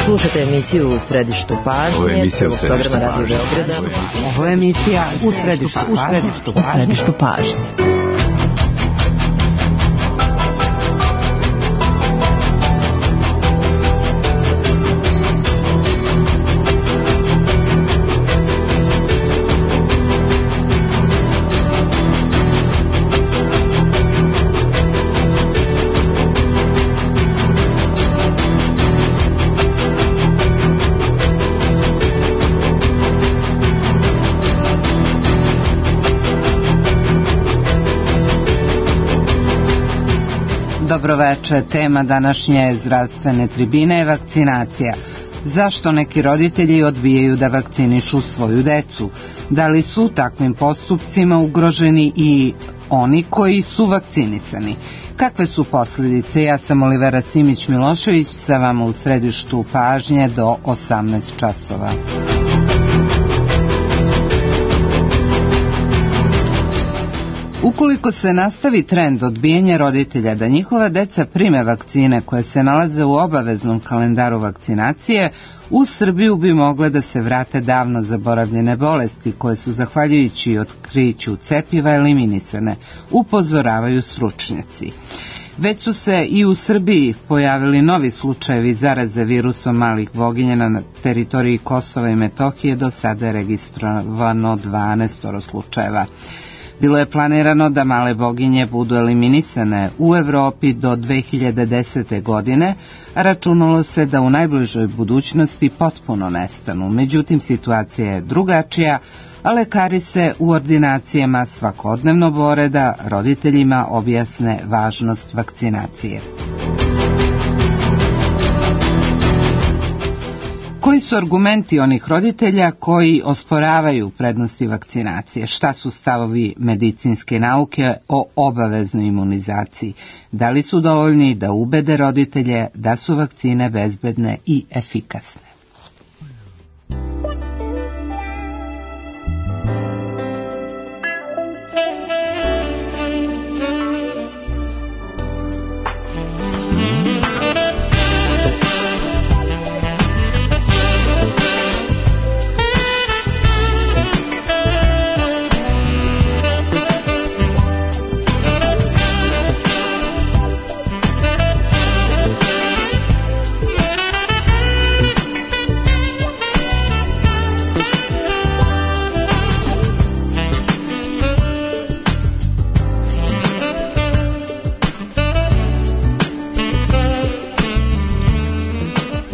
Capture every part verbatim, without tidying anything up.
Slušajte emisiju U središtu pažnje. Ovo je emisija U središtu pažnje. Ovo je emisija U središtu pažnje. U središtu pažnje. Dobroveče, tema današnje zdravstvene tribine je vakcinacija. Zašto neki roditelji odbijaju da vakcinišu svoju decu? Da li su takvim postupcima ugroženi i oni koji su vakcinisani? Kakve su posljedice? Ja sam Olivera Simić-Milošević, sa vama u središtu pažnje do osamnaest časova. Ukoliko se nastavi trend odbijanja roditelja da njihova deca prime vakcine koje se nalaze u obaveznom kalendaru vakcinacije, u Srbiju bi mogle da se vrate davno zaboravljene bolesti koje su zahvaljujući otkriću cepiva eliminisane, upozoravaju stručnjaci. Već su se i u Srbiji pojavili novi slučajevi zaraze virusom malih boginja na teritoriji Kosova i Metohije, do sada je registrovano dvanaest slučajeva. Bilo je planirano da male boginje budu eliminisane u Evropi do dve hiljade desete. godine, a računalo se da u najbližoj budućnosti potpuno nestanu. Međutim, situacija je drugačija, a lekari se u ordinacijama svakodnevno bore da roditeljima objasne važnost vakcinacije. Koji su argumenti onih roditelja koji osporavaju prednosti vakcinacije? Šta su stavovi medicinske nauke o obaveznoj imunizaciji? Da li su dovoljni da ubede roditelje da su vakcine bezbedne i efikasne?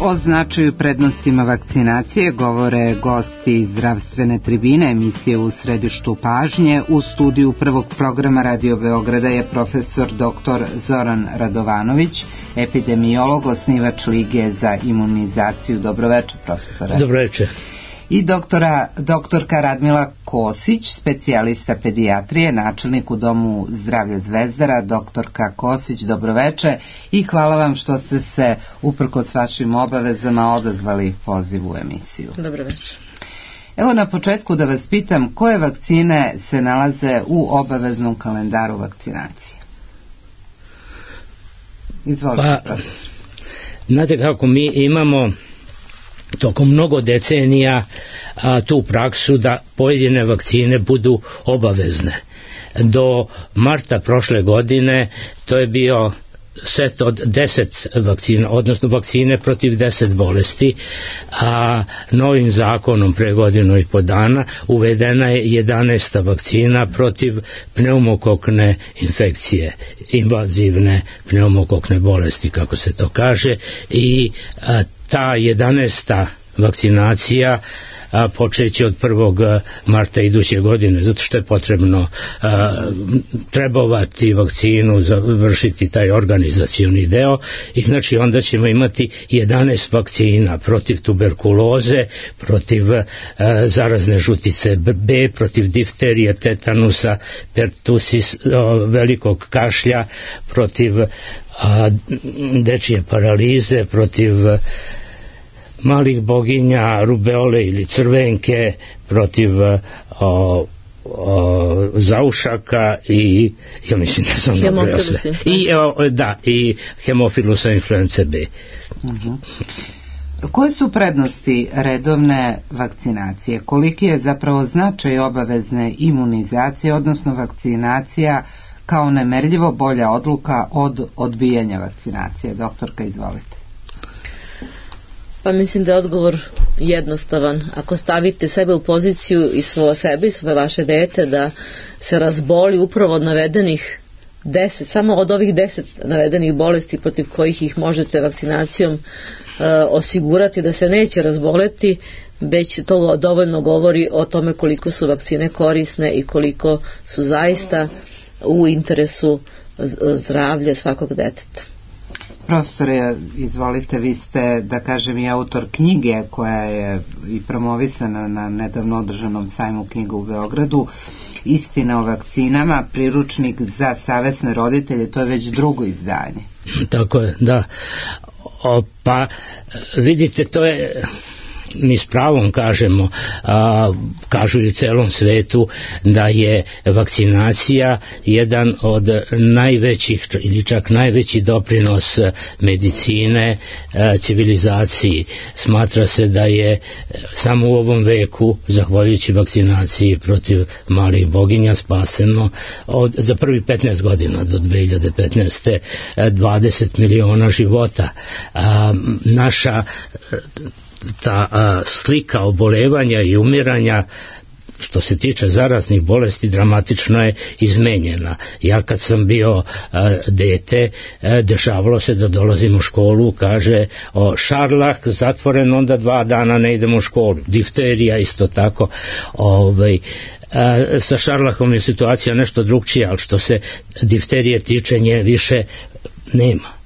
O značaju prednostima vakcinacije govore gosti zdravstvene tribine emisije U središtu pažnje. U studiju prvog programa Radio Beograda je profesor doktor Zoran Radovanović, epidemiolog, osnivač Lige za imunizaciju. Dobroveče, profesore. Dobroveče. I doktora, doktorka Radmila Kosić, specijalista pedijatrije, načelnik u Domu zdravlja Zvezdara. Doktorka Kosić, dobroveče i hvala vam što ste se, uprkos vašim obavezama, odazvali pozivu u emisiju. Dobroveče. Evo na početku da vas pitam, koje vakcine se nalaze u obaveznom kalendaru vakcinacije? Izvolite, pa, znate kako mi imamo tokom mnogo decenija a, tu praksu da pojedine vakcine budu obavezne. Do marta prošle godine to je bio set od deset vakcina, odnosno vakcine protiv deset bolesti, a novim zakonom pre godinu i po dana uvedena je jedanaesta vakcina protiv pneumokokne infekcije, invazivne pneumokokne bolesti, kako se to kaže, i a, ta jedanaesta vakcinacija a, počeće od prvog marta iduće godine, zato što je potrebno a, trebovati vakcinu, završiti taj organizacioni deo, i znači onda ćemo imati jedanaest vakcina protiv tuberkuloze, protiv a, zarazne žutice B, protiv difterije, tetanusa, pertusis, a, velikog kašlja, protiv a, dečije paralize, protiv malih boginja, rubeole ili crvenke, protiv o, o, zaušaka i ja mislim da sam dobro sve. I, o, da, i hemofilusa influence B. Uh-huh. Koje su prednosti redovne vakcinacije? Koliki je zapravo značaj obavezne imunizacije, odnosno vakcinacija kao nemerljivo bolja odluka od odbijanja vakcinacije? Doktorka, izvolite. Pa mislim da je odgovor jednostavan. Ako stavite sebe u poziciju i svoje sebe i svoje vaše dete da se razboli upravo od navedenih deset, samo od ovih deset navedenih bolesti protiv kojih ih možete vakcinacijom e, osigurati da se neće razboleti, već to dovoljno govori o tome koliko su vakcine korisne i koliko su zaista u interesu zdravlja svakog deteta. Profesore, izvolite, vi ste, da kažem, i autor knjige koja je i promovisana na nedavno održanom sajmu knjiga u Beogradu, Istina o vakcinama, priručnik za savesne roditelje, to je već drugo izdanje. Tako je, da. O, pa, vidite, to je... mi s pravom kažemo, a, kažu i u celom svetu da je vakcinacija jedan od najvećih ili čak najveći doprinos medicine a, civilizaciji. Smatra se da je samo u ovom veku, zahvaljujući vakcinaciji protiv malih boginja, spaseno od, za prvi petnaest godina do dve hiljade petnaeste. dvadeset miliona života. A, naša ta a, slika obolevanja i umiranja što se tiče zaraznih bolesti dramatično je izmenjena. Ja kad sam bio a, dete, a, dešavalo se da dolazim u školu, kaže o, šarlah zatvoren, onda dva dana ne idemo u školu. Difterija isto tako. Ovaj, a, sa šarlahom je situacija nešto drugčija, ali što se difterije tiče, nje više nema.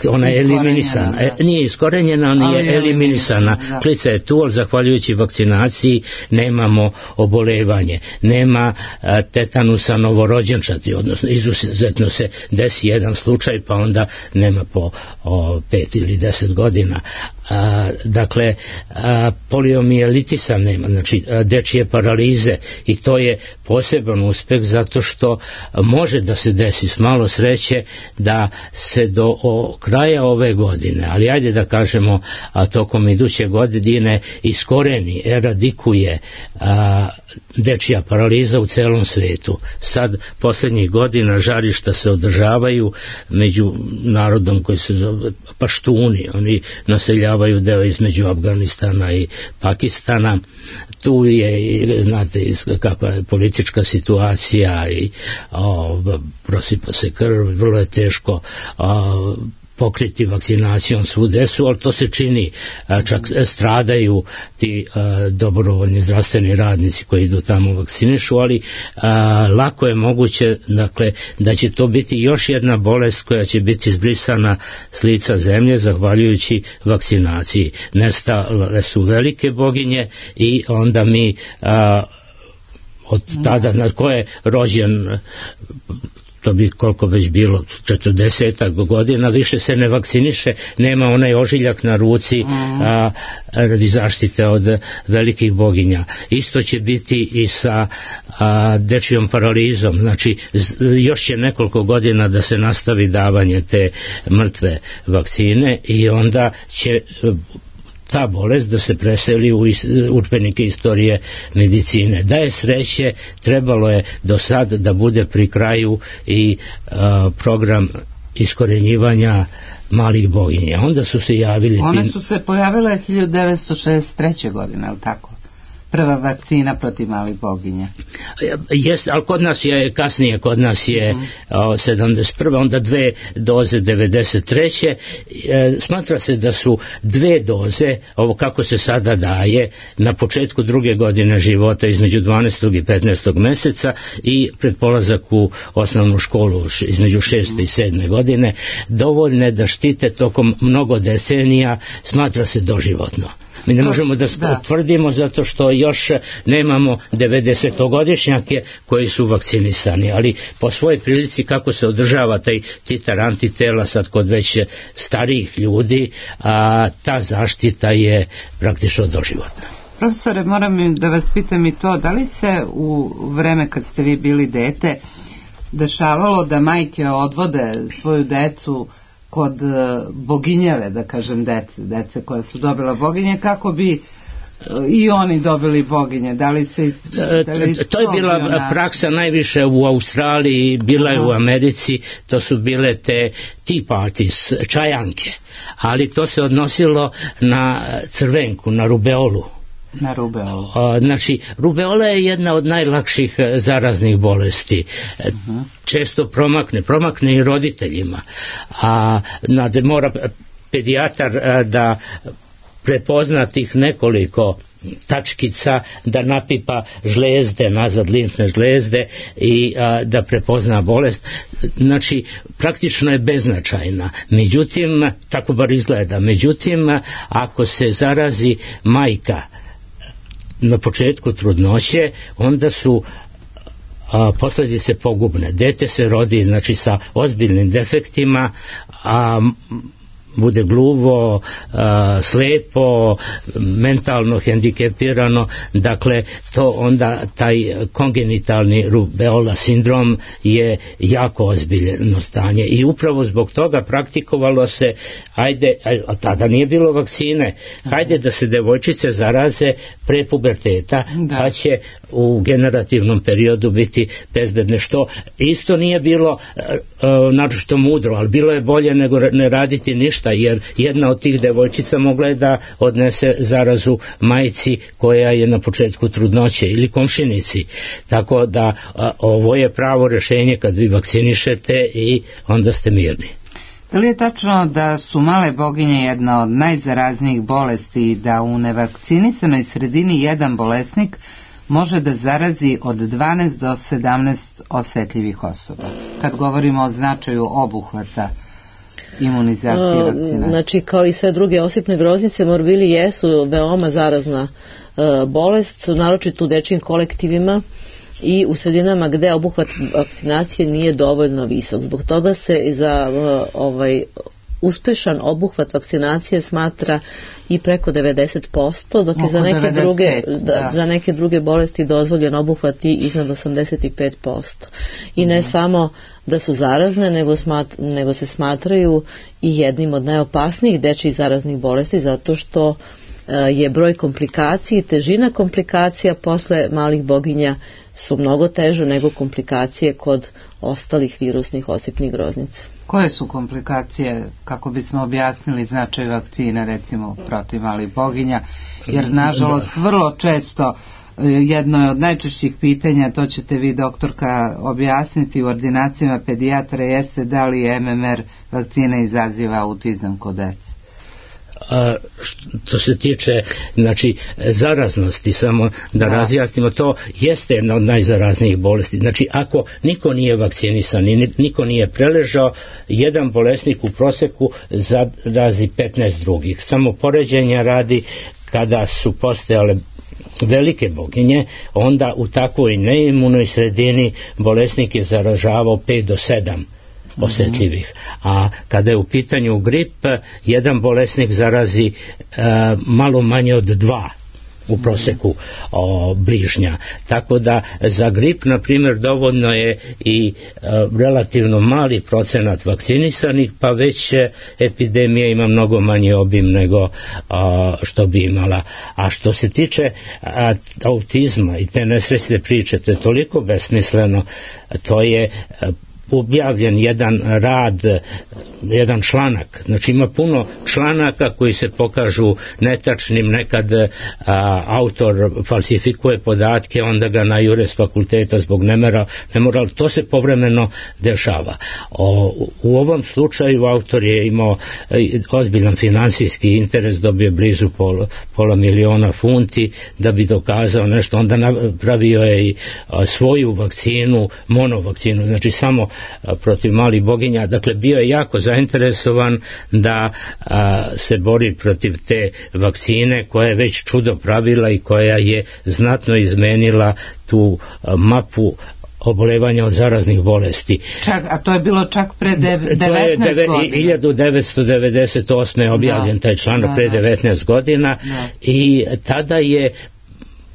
Ona je eliminisana. E, nije iskorenjena, ona je eliminisana. Klica je tu, ali zahvaljujući vakcinaciji nemamo obolevanje. Nema a, tetanusa novorođenčadi, odnosno izuzetno se desi jedan slučaj, pa onda nema po o, pet ili deset godina. A, dakle, a, poliomijelitisa nema, znači a, dečije paralize, i to je poseban uspeh zato što može da se desi s malo sreće da se do o, kraja ove godine, ali ajde da kažemo a tokom iduće godine iskoreni, eradikuje a, dečija paraliza u celom svetu. Sad poslednjih godina žarišta se održavaju među narodom koji se zove Paštuni, oni naseljavaju deo između Afganistana i Pakistana. Tu je, znate, kakva je politička situacija i o, prosipa se krv, vrlo je teško o, pokriti vakcinacijom svu decu, ali to se čini, čak stradaju ti a, dobrovoljni zdravstveni radnici koji idu tamo vakcinišu, ali a, lako je moguće, dakle, da će to biti još jedna bolest koja će biti izbrisana s lica zemlje zahvaljujući vakcinaciji. Nestale su velike boginje i onda mi a, od tada, na ko je rođen, to bi koliko već bilo, četrdesetak godina, više se ne vakciniše, nema onaj ožiljak na ruci a, radi zaštite od velikih boginja. Isto će biti i sa a, dečijom paralizom, znači još će nekoliko godina da se nastavi davanje te mrtve vakcine i onda će ta bolest da se preseli u udžbenike istorije medicine. Da je sreće, trebalo je do sad da bude pri kraju i a, program iskorenjivanja malih boginja. Onda su se javili... One su se pojavile hiljadu devetsto šezdeset treće. godine, je li tako? Prva vakcina protiv malih boginja. Jeste, ali kod nas je kasnije, kod nas je mm. o, sedamdeset prve. onda dve doze devedeset treće. E, smatra se da su dve doze, ovo kako se sada daje, na početku druge godine života između dvanaestog i petnaestog meseca i pred polazak u osnovnu školu između šeste i sedme godine, dovoljne da štite tokom mnogo decenija, smatra se doživotno. Mi ne možemo da, da tvrdimo zato što još nemamo devedesetogodišnjake koji su vakcinisani, ali po svojoj prilici kako se održava taj titar antitela sad kod već starijih ljudi, a ta zaštita je praktično doživotna. Profesore, moram da vas pitam i to, da li se u vreme kad ste vi bili dete dešavalo da majke odvode svoju decu kod boginjeve, da kažem, dece, dece koje su dobila boginje, kako bi i oni dobili boginje? Da li se... Da li to je bila ona... praksa najviše u Australiji, bila je u Americi, to su bile te tea parties, čajanke, ali to se odnosilo na crvenku, na rubeolu. Na rubeolu. Znači, rubeola je jedna od najlakših zaraznih bolesti. Uh-huh. Često promakne, promakne i roditeljima. A znači, mora pedijatar da prepozna tih nekoliko tačkica, da napipa žlezde, nazad limfne žlezde i a, da prepozna bolest. Znači, praktično je beznačajna. Međutim, tako bar izgleda. Međutim, ako se zarazi majka na početku trudnoće, onda su a, posljedice pogubne. Dete se rodi, znači, sa ozbiljnim defektima, a bude gluvo, a, slepo, mentalno hendikepirano, dakle to onda taj kongenitalni rubeola sindrom je jako ozbiljno stanje i upravo zbog toga praktikovalo se, ajde, a tada nije bilo vakcine, hajde da se devojčice zaraze pre puberteta, da. Pa će u generativnom periodu biti bezbedne, što isto nije bilo naročito mudro, ali bilo je bolje nego ne raditi ništa, jer jedna od tih devojčica mogla je da odnese zarazu majci koja je na početku trudnoće ili komšinici, tako da a, ovo je pravo rješenje kad vi vakcinišete i onda ste mirni. Da li je tačno da su male boginje jedna od najzaraznijih bolesti i da u nevakcinisanoj sredini jedan bolesnik može da zarazi od dvanaest do sedamnaest osetljivih osoba? Kad govorimo o značaju obuhvata imunizacije i vakcinacije. Znači, kao i sve druge osipne groznice, morbili jesu veoma zarazna uh, bolest, naročito u dečijim kolektivima i u sredinama gde obuhvat vakcinacije nije dovoljno visok. Zbog toga se za uh, ovaj uspešan obuhvat vakcinacije smatra i preko devedeset posto, dok je za neke, druge, da, za neke druge bolesti dozvoljen obuhvat i iznad osamdeset pet posto. I ne mm. samo da su zarazne, nego, smat, nego se smatraju i jednim od najopasnijih dečjih zaraznih bolesti, zato što uh, je broj komplikacija i težina komplikacija posle malih boginja su mnogo teže nego komplikacije kod ostalih virusnih osipnih groznica. Koje su komplikacije, kako bismo objasnili značaj vakcina, recimo protiv malih boginja, jer nažalost vrlo često jedno je od najčešćih pitanja, to ćete vi doktorka objasniti u ordinacijama pedijatra, jeste da li M M R vakcina izaziva autizam kod dece? A što se tiče, znači, zaraznosti, samo da, da razjasnimo, to jeste jedna od najzaraznijih bolesti. Znači, ako niko nije vakcinisan i niko nije preležao, jedan bolesnik u proseku zarazi petnaest drugih. Samo poređenja radi, kada su postojale velike boginje, onda u takvoj neimunoj sredini bolesnik je zaražavao pet do sedam osjetljivih. A kada je u pitanju grip, jedan bolesnik zarazi e, malo manje od dva u proseku o, bližnja. Tako da za grip, na primjer, dovoljno je i e, relativno mali procenat vakcinisanih, pa već epidemija ima mnogo manji obim nego a, što bi imala. A što se tiče a, autizma i te nesrećne priče, to je toliko besmisleno, to je a, objavljen jedan rad, jedan članak, znači ima puno članaka koji se pokažu netačnim, nekad a, autor falsifikuje podatke, onda ga najure s fakulteta zbog nemera, nemoral, to se povremeno dešava. O, u ovom slučaju autor je imao ozbiljan finansijski interes, dobio blizu pola, pola miliona funti da bi dokazao nešto, onda napravio je i a, svoju vakcinu, monovakcinu, znači samo protiv malih boginja, dakle bio je jako zainteresovan da a, se bori protiv te vakcine koja je već čudo pravila i koja je znatno izmenila tu a, mapu obolevanja od zaraznih bolesti. Čak, a to je bilo čak pre devetnaest deve, godina. hiljadu devetsto devedeset osme je objavljen da, taj članak, da, pre devetnaest godina, da. I tada je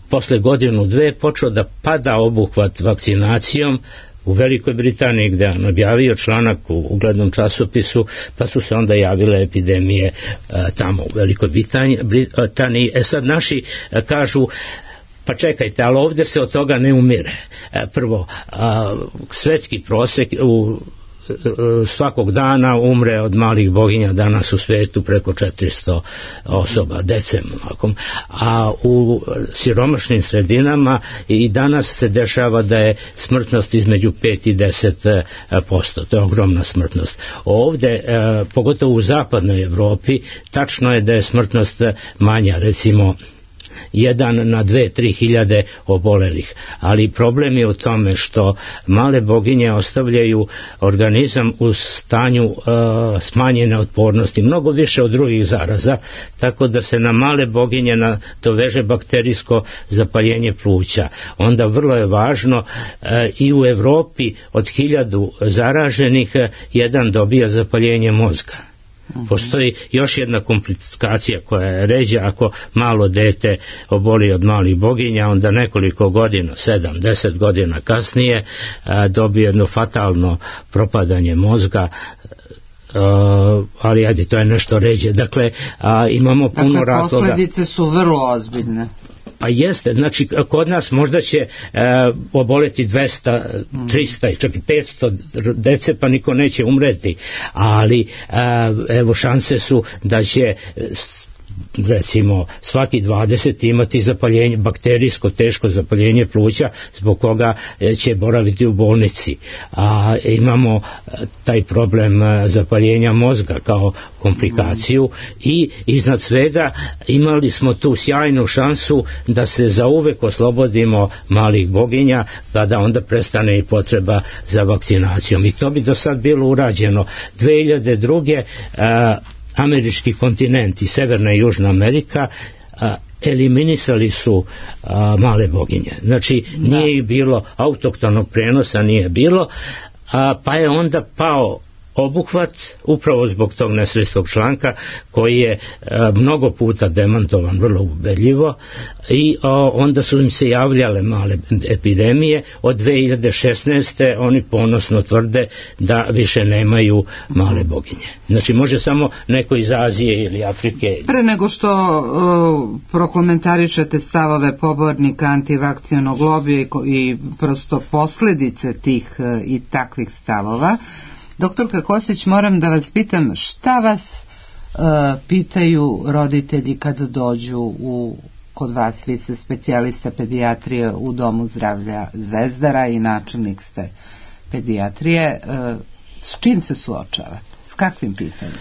posle godinu dve počeo da pada obuhvat vakcinacijom u Velikoj Britaniji, gde on objavio članak u uglednom časopisu, pa su se onda javile epidemije e, tamo u Velikoj Britaniji. E sad naši e, kažu, pa čekajte, ali ovdje se od toga ne umire. E, prvo, a, svetski prosek u svakog dana umre od malih boginja danas u svetu preko četiristo osoba, dece, a u siromašnim sredinama i danas se dešava da je smrtnost između pet i deset posto, to je ogromna smrtnost. Ovdje, pogotovo u zapadnoj Evropi, tačno je da je smrtnost manja, recimo jedan na dve, tri hiljade obolelih. Ali problem je u tome što male boginje ostavljaju organizam u stanju uh, smanjene otpornosti, mnogo više od drugih zaraza, tako da se na male boginje nadoveže bakterijsko zapaljenje pluća. Onda vrlo je važno uh, i u Evropi od hiljadu zaraženih uh, jedan dobija zapaljenje mozga. Postoji još jedna komplikacija koja je ređa, ako malo dete oboli od malih boginja, onda nekoliko godina, sedam, deset godina kasnije a, dobije jedno fatalno propadanje mozga, a, ali ajde, to je nešto ređe. Dakle, a, imamo puno dakle, razloga. Posljedice su vrlo ozbiljne. Pa jeste, znači kod nas možda će e, oboleti dvesta, trista i čak i petsto dece, pa niko neće umreti, ali e, evo šanse su da će recimo svaki dvadeset imati zapaljenje, bakterijsko teško zapaljenje pluća, zbog koga će boraviti u bolnici. A imamo taj problem zapaljenja mozga kao komplikaciju i iznad svega imali smo tu sjajnu šansu da se zauvek oslobodimo malih boginja, pa da onda prestane i potreba za vakcinacijom. I to bi do sad bilo urađeno. dve hiljade druge. a, američki kontinent i Severna i Južna Amerika a, eliminisali su a, male boginje. Znači nije ih bilo, autoktonog prenosa nije bilo, a, pa je onda pao obuhvat upravo zbog tog nesrećnog članka koji je a, mnogo puta demantovan vrlo ubedljivo i a, onda su im se javljale male epidemije. Od dve hiljade šesnaeste. oni ponosno tvrde da više nemaju male boginje. Znači može samo neko iz Azije ili Afrike. Pre nego što uh, prokomentarišete stavove pobornika antivakcionog lobija i, i prosto posljedice tih uh, i takvih stavova, doktorka Kosić, moram da vas pitam, šta vas uh, pitaju roditelji kad dođu u, kod vas, vi ste specijalista pedijatrije u Domu zdravlja Zvezdara i načelnik ste pedijatrije, uh, s čim se suočavate? S kakvim pitanjem?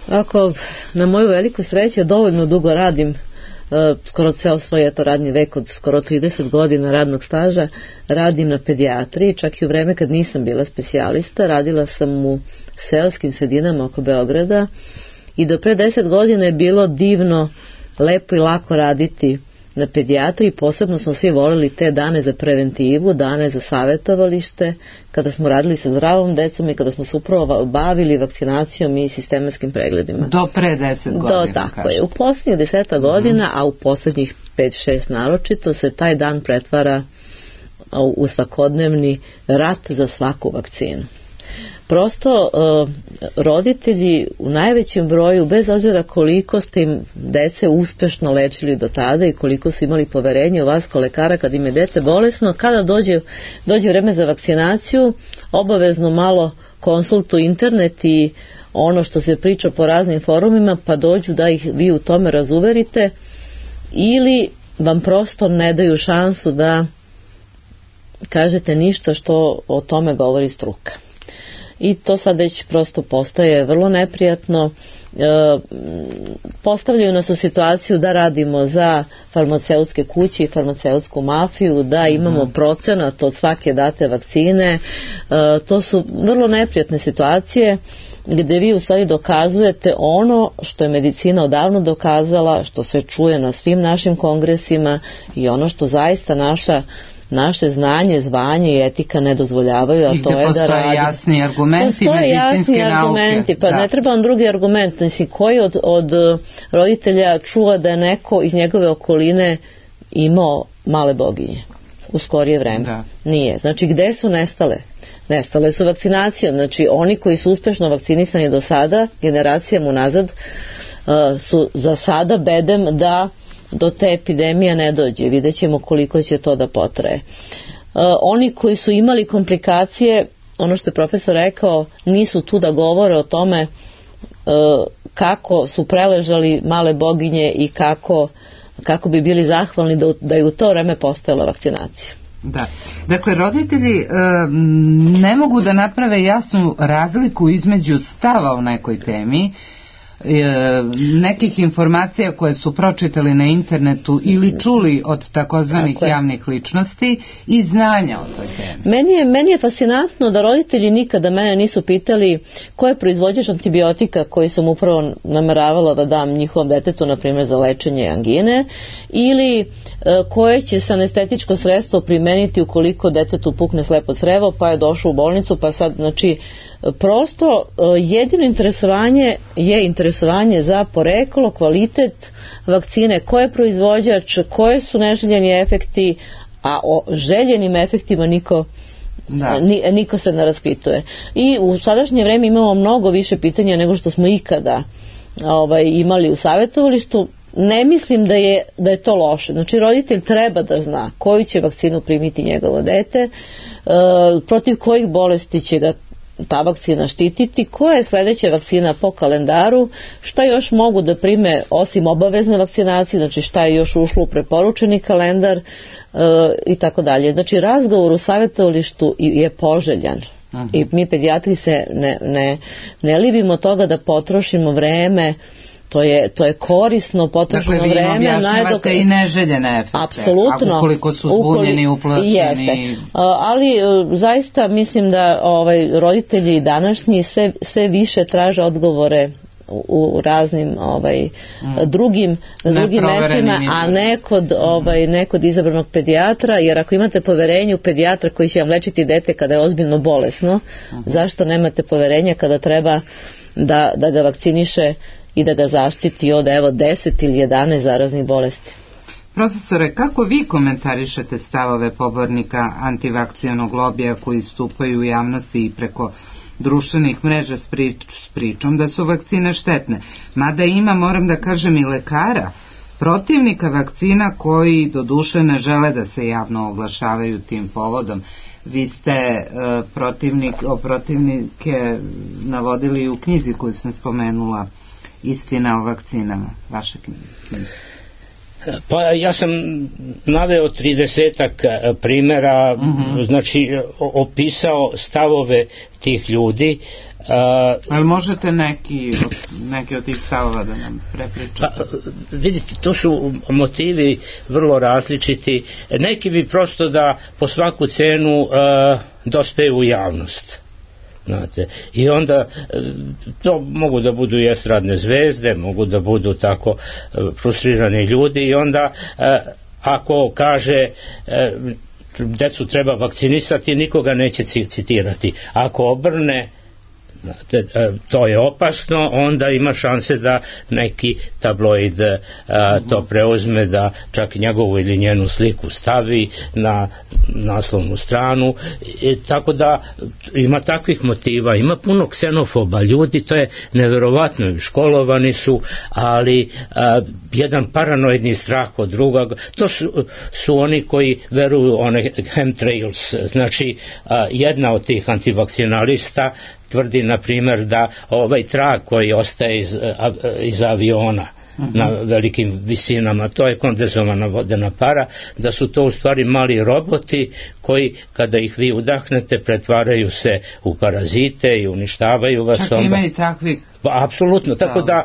Ako na moju veliku sreću dovoljno dugo radim, Uh, skoro ceo svoj eto radni vek od skoro trideset godina radnog staža radim na pedijatriji, čak i u vreme kad nisam bila specijalista radila sam u seoskim sredinama oko Beograda i do pre deset godina je bilo divno, lepo i lako raditi na pedijatriji. Posebno smo svi volili te dane za preventivu, dane za savjetovalište, kada smo radili sa zdravom decom i kada smo se upravo bavili vakcinacijom i sistematskim pregledima. Do pre deset godina. Do, tako je. U posljednjih deseta godina, mm. a u posljednjih pet šest naročito, se taj dan pretvara u svakodnevni rat za svaku vakcinu. Prosto uh, roditelji u najvećem broju, bez obzira koliko ste im dece uspešno lečili do tada i koliko su imali poverenje u vas kao lekara kad im je dete bolesno, kada dođe, dođe vreme za vakcinaciju, obavezno malo konsultuju internet i ono što se priča po raznim forumima, pa dođu da ih vi u tome razuverite, ili vam prosto ne daju šansu da kažete ništa što o tome govori struka. I to sad već prosto postaje vrlo neprijatno. E, postavljaju nas u situaciju da radimo za farmaceutske kuće i farmaceutsku mafiju, da imamo procenat od svake date vakcine. E, to su vrlo neprijatne situacije gdje vi u stvari dokazujete ono što je medicina odavno dokazala, što se čuje na svim našim kongresima i ono što zaista naša naše znanje, zvanje i etika ne dozvoljavaju, a to je da radi. Jasni argumenti, postoje jasni argumenti, pa da. Ne treba on drugi argument. Mislim, koji od, od roditelja čuva da je neko iz njegove okoline imao male boginje? u skorije vreme. Da. Nije. Znači, gde su nestale? Nestale su vakcinacijom. Znači, oni koji su uspešno vakcinisani do sada, generacijama unazad, su za sada bedem da do te epidemije ne dođe. Vidjet ćemo koliko će to da potraje. Oni koji su imali komplikacije, ono što je profesor rekao, nisu tu da govore o tome kako su preležali male boginje i kako, kako bi bili zahvalni da, da je u to vreme postojala vakcinacija. Da. Dakle, roditelji e, ne mogu da naprave jasnu razliku između stava o nekoj temi, e, nekih informacija koje su pročitali na internetu ili čuli od takozvanih javnih ličnosti i znanja o toj temi. Meni je, meni je fascinantno da roditelji nikada mene nisu pitali ko je proizvođač antibiotika koji sam upravo nameravala da dam njihovom detetu, na primjer za lečenje angine, ili koje će se anestetičko sredstvo primeniti ukoliko detetu pukne slepo crevo pa je došao u bolnicu, pa sad, znači, prosto jedino interesovanje je interesovanje za poreklo, kvalitet vakcine, ko je proizvođač, koje su neželjeni efekti, a o željenim efektima niko Da. niko se ne raspituje. I u sadašnje vreme imamo mnogo više pitanja nego što smo ikada ovaj, imali u savjetovalištu. Ne mislim da je, da je to loše. Znači, roditelj treba da zna koju će vakcinu primiti njegovo dete, e, protiv kojih bolesti će ga ta vakcina štititi, koja je sledeća vakcina po kalendaru, šta još mogu da prime osim obavezne vakcinacije, znači šta je još ušlo u preporučeni kalendar, e, i tako dalje. Znači, razgovor u savjetovalištu je poželjan. Aha. I mi pedijatri se ne, ne, ne libimo toga da potrošimo vreme. To je, to je korisno potrošeno dakle, vreme. Dakle, vi objašnjavate i neželjene efekte. Apsolutno. Ukoliko su zbunjeni, uplašeni. Jeste. Ali zaista mislim da ovaj, roditelji današnji sve, sve više traže odgovore u raznim ovaj, mm. drugim, drugim mestima, a ne kod, ovaj, ne kod izabranog pedijatra, jer ako imate poverenje u pedijatra koji će vam lečiti dete kada je ozbiljno bolesno, uh-huh. zašto nemate poverenja kada treba da, da ga vakciniše i da ga zaštiti od evo deset ili jedanaest zaraznih bolesti. Profesore, kako vi komentarišete stavove pobornika antivakcijanog lobija koji stupaju u javnosti i preko društvenih mreža s, prič, s pričom da su vakcine štetne? Mada ima, moram da kažem, i lekara, protivnika vakcina koji doduše ne žele da se javno oglašavaju tim povodom. Vi ste uh, protivnik, o protivnike navodili u knjizi koju sam spomenula, Istina o vakcinama, vaša knjiga. Pa ja sam naveo tridesetak primjera, uh-huh. znači opisao stavove tih ljudi. Uh, Ali možete neki od, neki od tih stavova da nam prepričate? Pa, vidite, to su motivi vrlo različiti. Neki bi prosto da po svaku cenu uh, dospeju u javnost. Znate, i onda to mogu da budu i estradne zvezde, mogu da budu tako frustrirani ljudi i onda ako kaže decu treba vakcinisati, nikoga neće citirati. Ako obrne, to je opasno, onda ima šanse da neki tabloid a, to preuzme, da čak njegovu ili njenu sliku stavi na naslovnu stranu. I, tako da ima takvih motiva, ima puno ksenofoba ljudi, to je neverovatno, školovani su, ali a, jedan paranoidni strah od druga, to su, su oni koji veruju one chemtrails, znači a, jedna od tih antivakcinalista tvrdi, na primjer, da ovaj trag koji ostaje iz, iz aviona uh-huh. na velikim visinama, to je kondenzovana vodena para, da su to u stvari mali roboti koji, kada ih vi udahnete, pretvaraju se u parazite i uništavaju vas. Čak onda ima i takvi. Apsolutno, tako da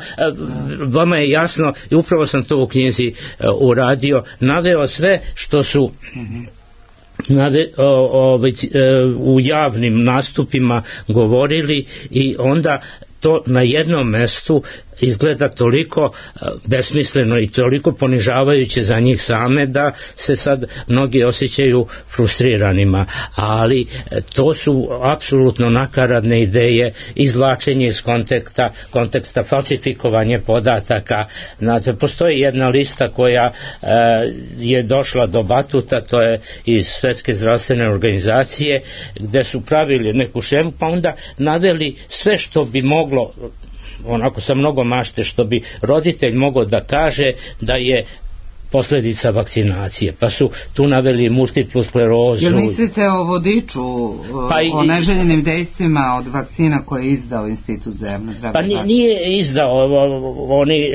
vama je jasno, i upravo sam to u knjizi uradio, naveo sve što su uh-huh. Nave, o, o, već, e, u javnim nastupima govorili i onda to na jednom mestu izgleda toliko besmisleno i toliko ponižavajuće za njih same da se sad mnogi osjećaju frustriranima, ali to su apsolutno nakaradne ideje, izvlačenje iz konteksta, konteksta falsifikovanje podataka. Znate, postoji jedna lista koja e, je došla do batuta, to je iz Svetske zdravstvene organizacije, gde su pravili neku šemu, pa onda naveli sve što bi moglo, onako sa mnogo mašte, što bi roditelj mogao da kaže da je posljedica vakcinacije, pa su tu naveli multiplu sklerozu. Jel mislite o vodiču, pa i, o neželjenim dejstvima od vakcina koje je izdao Institut za javno zdravlje? Pa nije, nije izdao, oni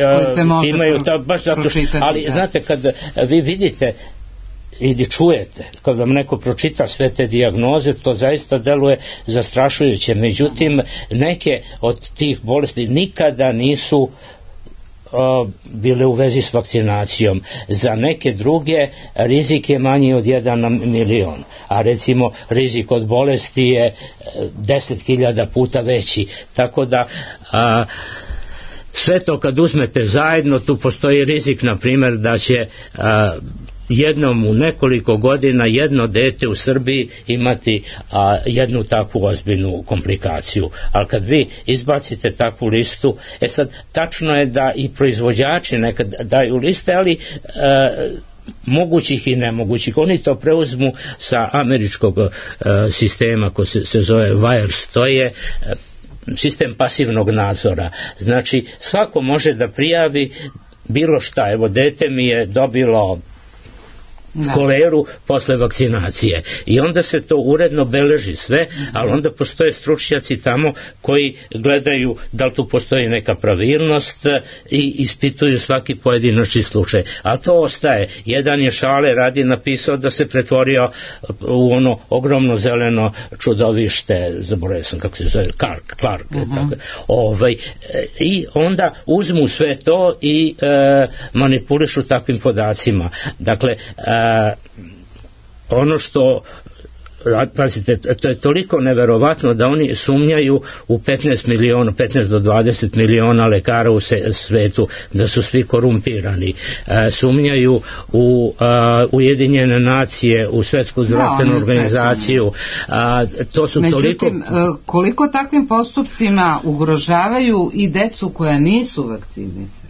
imaju to baš zato što, ali da. Znate, kad vi vidite ili čujete, kad vam neko pročita sve te dijagnoze, to zaista deluje zastrašujuće. Međutim, neke od tih bolesti nikada nisu uh, bile u vezi s vakcinacijom. Za neke druge rizik je manji od jedan na milion, a recimo rizik od bolesti je deset hiljada puta veći. Tako da uh, sve to kad uzmete zajedno, tu postoji rizik, na primjer, da će uh, jednom u nekoliko godina jedno dete u Srbiji imati a, jednu takvu ozbiljnu komplikaciju. Ali kad vi izbacite takvu listu, e sad, tačno je da i proizvođači nekad daju liste, ali a, mogućih i nemogućih. Oni to preuzmu sa američkog a, sistema koji se, se zove VAERS, to je a, sistem pasivnog nadzora. Znači, svako može da prijavi bilo šta. Evo, dete mi je dobilo Da. koleru posle vakcinacije i onda se to uredno beleži sve, ali onda postoje stručnjaci tamo koji gledaju da li tu postoji neka pravilnost i ispituju svaki pojedinačni slučaj, a to ostaje. Jedan je Šale radi napisao da se pretvorio u ono ogromno zeleno čudovište, zaboravio sam kako se zove, Clark, Clark uh-huh. tako, ovaj, i onda uzmu sve to i e, manipulišu takvim podacima. Dakle, e, ono što, pazite, to je toliko neverovatno da oni sumnjaju u petnaest miliona, petnaest do dvadeset miliona lekara u svetu, da su svi korumpirani. E, sumnjaju u a, Ujedinjene nacije, u Svetsku zdravstvenu no, organizaciju. A, to su Međutim, toliko... koliko takvim postupcima ugrožavaju i decu koja nisu vakcinisana?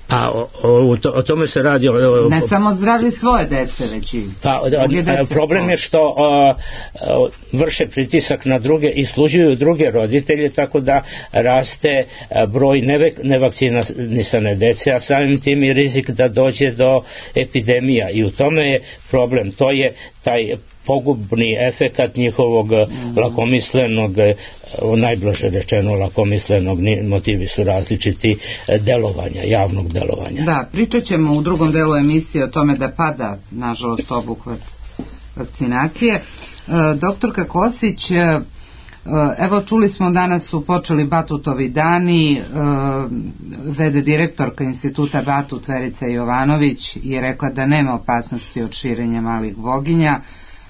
Pa o, o, o tome se radi o, o, ne samo zdravlje svoje dece, već i pa, dece. Problem je što o, o, vrše pritisak na druge i služuju druge roditelje, tako da raste broj nevakcinisane dece, a samim tim i rizik da dođe do epidemija, i u tome je problem. To je taj pogubni efekat njihovog mm. lakomislenog, najblaže rečeno lakomislenog, motivi su različiti, delovanja, javnog delovanja. Da, pričat ćemo u drugom delu emisije o tome da pada, nažalost, obuhvat vakcinacije. E, doktorka Kosić, e, evo čuli smo, danas su počeli Batutovi dani, e, vede direktorka instituta Batut Verica Jovanović je rekla da nema opasnosti od širenja malih boginja,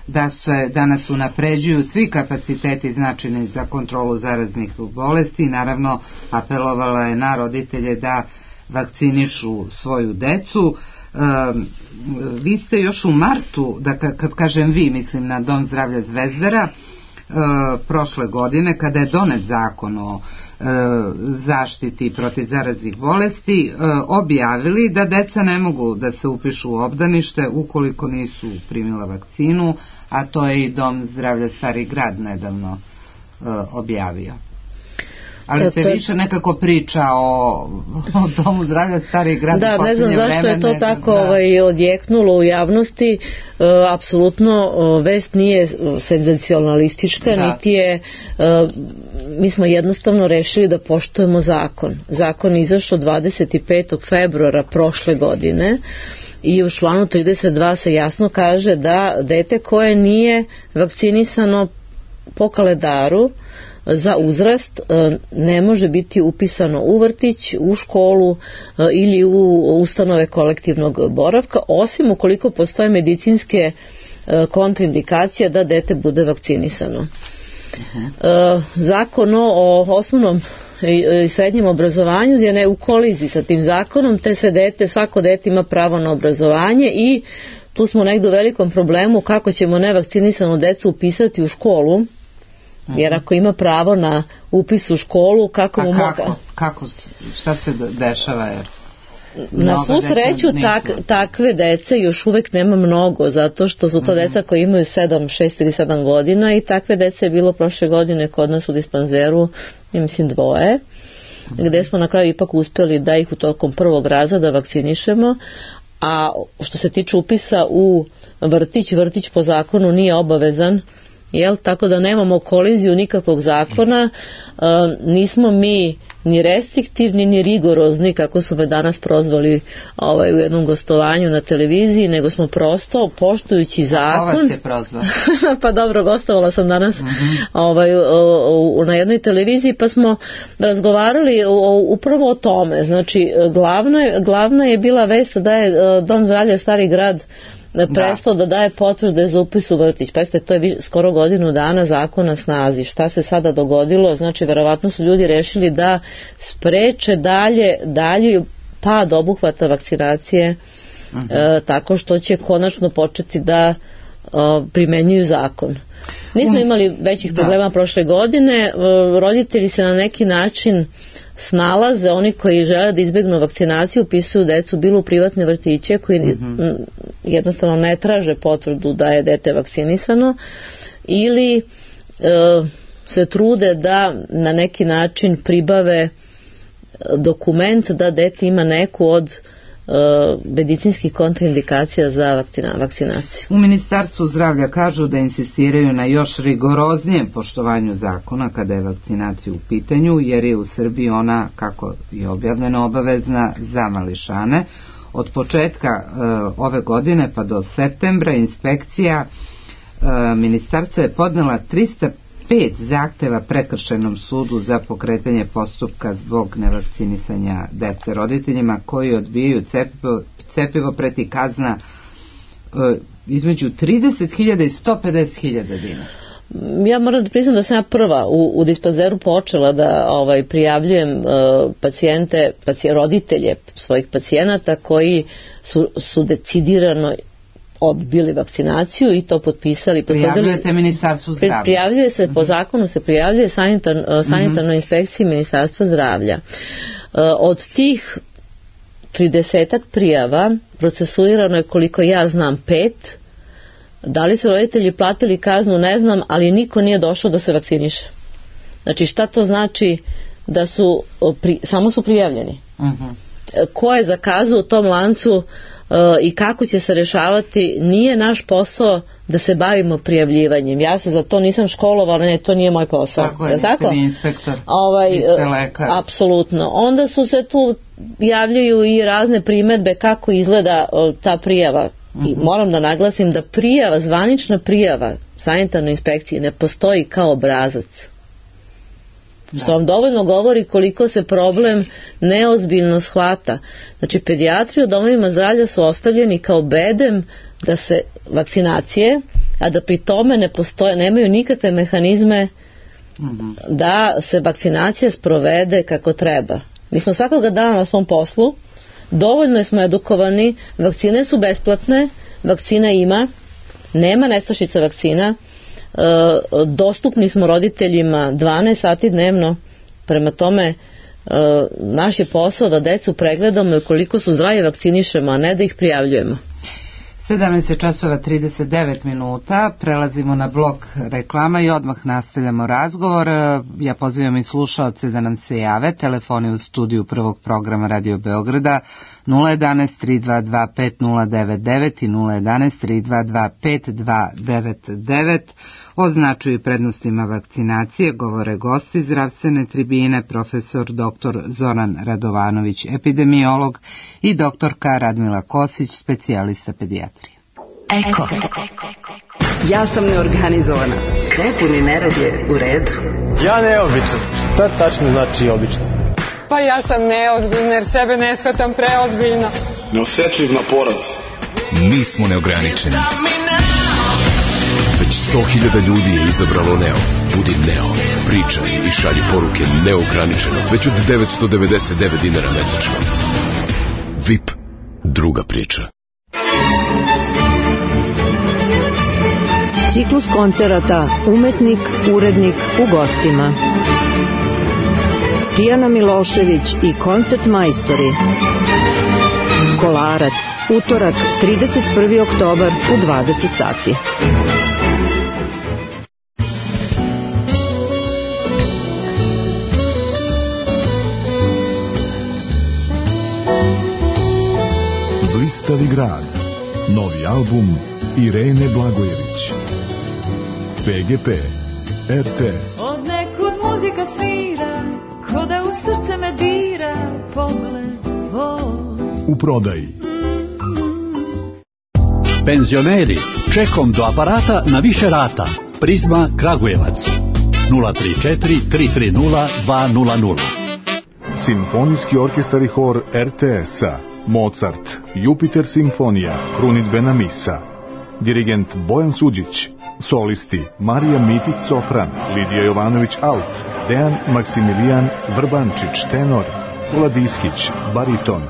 da se danas unapređuju svi kapaciteti značajni za kontrolu zaraznih bolesti. Naravno, apelovala je na roditelje da vakcinišu svoju decu. E, vi ste još u martu, da kad kažem vi, mislim na Dom zdravlja Zvezdara, e, prošle godine, kada je donet zakon o e, zaštiti protiv zaraznih bolesti, e, objavili da deca ne mogu da se upišu u obdanište ukoliko nisu primila vakcinu, a to je i Dom zdravlja Stari Grad nedavno e, objavio. Ali se više nekako priča o, o Domu zdravlja Stari Grad. Da, ne znam zašto je to tako da. ovaj, odjeknulo u javnosti. E, apsolutno vest nije senzacionalistička, da. niti je, e, mi smo jednostavno rešili da poštujemo zakon. Zakon je izašao dvadeset petog februara prošle godine i u članu trideset dva se jasno kaže da dete koje nije vakcinisano po kalendaru za uzrast ne može biti upisano u vrtić, u školu ili u ustanove kolektivnog boravka, osim ukoliko postoje medicinske kontraindikacije da dete bude vakcinisano. Uh-huh. Zakon o osnovnom i srednjem obrazovanju je ne u koliziji sa tim zakonom, te se dete, svako dete ima pravo na obrazovanje i tu smo negdje u velikom problemu kako ćemo nevakcinisanu decu upisati u školu, jer ako ima pravo na upis u školu, kako mu kako, moga... kako, šta se dešava, jer... Na svu sreću tak, takve dece još uvek nema mnogo, zato što su to mm-hmm. deca koji imaju sedam, šest ili sedam godina i takve dece je bilo prošle godine kod nas u dispanzeru, ja mislim dvoje, mm-hmm. gde smo na kraju ipak uspjeli da ih u tokom prvog razreda vakcinišemo, a što se tiče upisa u vrtić, vrtić po zakonu nije obavezan, jel? Tako da nemamo koliziju nikakvog zakona, uh, nismo mi ni restriktivni, ni rigorozni, kako su me danas prozvali ovaj, u jednom gostovanju na televiziji, nego smo prosto, poštujući zakon... A vas je prozvao? Pa dobro, gostovala sam danas mm-hmm. ovaj, o, o, na jednoj televiziji, pa smo razgovarali o, upravo o tome. Znači, glavna, glavna je bila vest da je Dom zdravlja Stari Grad prestao da. da daje potvrde za upis u vrtić. Pazite, to je skoro godinu dana zakon na snazi. Šta se sada dogodilo? Znači, verovatno su ljudi rešili da spreče dalje, dalje pad obuhvata vakcinacije uh-huh. e, tako što će konačno početi da o, primenjuju zakon. Nismo imali većih problema da. prošle godine. Roditelji se na neki način snalaze, oni koji žele da izbjegnu vakcinaciju upisuju decu bilo u privatne vrtiće koji mm-hmm. jednostavno ne traže potvrdu da je dete vakcinisano ili e, se trude da na neki način pribave dokument da dete ima neku od medicinskih kontraindikacija za vakcina, vakcinaciju. U Ministarstvu zdravlja kažu da insistiraju na još rigoroznijem poštovanju zakona kada je vakcinacija u pitanju, jer je u Srbiji ona, kako je objavljeno, obavezna za mališane. Od početka e, ove godine pa do septembra inspekcija e, ministarstva je podnela trista pet zahteva prekršajnom sudu za pokretanje postupka zbog nevakcinisanja dece. Roditeljima koji odbijaju cepivo, cepivo preti kazna e, između trideset hiljada i sto pedeset hiljada dinara. Ja moram da priznam da sam ja prva u, u dispanzeru počela da ovaj, prijavljujem uh, pacijente, pacijente, roditelje svojih pacijenata koji su, su decidirano odbili vakcinaciju i to potpisali. Prijavljujete Ministarstvu zdravlja? Prijavljuje se, po zakonu se prijavljuje sanitar, sanitarnoj mm-hmm. inspekciji Ministarstva zdravlja. Od tih tridesetak prijava procesuirano je, koliko ja znam, pet. Da li su roditelji platili kaznu, ne znam, ali niko nije došao da se vakciniše. Znači, šta to znači da su, pri, samo su prijavljeni? Mm-hmm. Ko je zakazao u tom lancu i kako će se rešavati, nije naš posao da se bavimo prijavljivanjem. Ja se za to nisam školovala, ne, to nije moj posao. Tako je, niste vi inspektor, ovaj, niste lekar. Apsolutno. Onda su se tu javljaju i razne primedbe kako izgleda ta prijava. Uh-huh. I moram da naglasim da prijava, zvanična prijava sanitarnoj inspekciji ne postoji kao obrazac. Što vam dovoljno govori koliko se problem neozbiljno shvata. Znači, pedijatri u domovima zdravlja su ostavljeni kao bedem da se vakcinacije, a da pri tome ne postoje, nemaju nikakve mehanizme mm-hmm. da se vakcinacija sprovede kako treba. Mi smo svakoga dana na svom poslu, dovoljno smo edukovani, vakcine su besplatne, vakcina ima, nema nestašica vakcina, Uh, dostupni smo roditeljima dvanaest sati dnevno, prema tome uh, naš je posao da decu pregledamo i koliko su zdravi vakcinišemo, a ne da ih prijavljujemo. sedamnaest časova trideset devet minuta, prelazimo na blok reklama i odmah nastavljamo razgovor. Ja pozivam i slušaoce da nam se jave. Telefoni u studiju prvog programa Radio Beograda nula jedanaest tri dva dva pet nula devet devet i nula jedanaest tri dva dva pet dva devet devet. O značaju i prednostima vakcinacije govore gosti zdravstvene tribine, profesor doktor Zoran Radovanović, epidemiolog, i doktorka Radmila Kosić, specijalista pedijatrije. Eko. Ja sam neorganizovana. Nepuni nerad je u redu. Ja neobičan. Šta tačno znači obično? Pa ja sam neozbiljna jer sebe ne shvatam preozbiljno. Neosetljiv na poraz. Mi smo neograničeni. Već sto hiljada ljudi je izabralo Neo. Budi Neo. Pričaj i šalji poruke neograničeno. Već od devetsto devedeset devet dinara mesečno. V I P. Druga priča. Ciklus koncerata Umetnik, urednik u gostima. Tijana Milošević i koncert majstori. Kolarac, utorak, trideset prvi oktobar u dvadeset sati. Blistavi grad. Novi album Irene Blagojević. P G P, R T S. Od nekud muzika svira, ko da u srce me dira, pogled tvoj. U prodaji. Penzioneri, čekom do aparata na više rata. Prizma Kragujevac. nula tri četiri tri tri nula dva nula nula. Simfonijski orkestar i hor R T S-a. Mozart, Jupiter simfonija, krunidbena misa. Dirigent Bojan Suđić. Solisti Marija Mitić sopran, Lidija Jovanović alt, Dejan Maksimilijan Vrbančić tenor, Vladiskić bariton.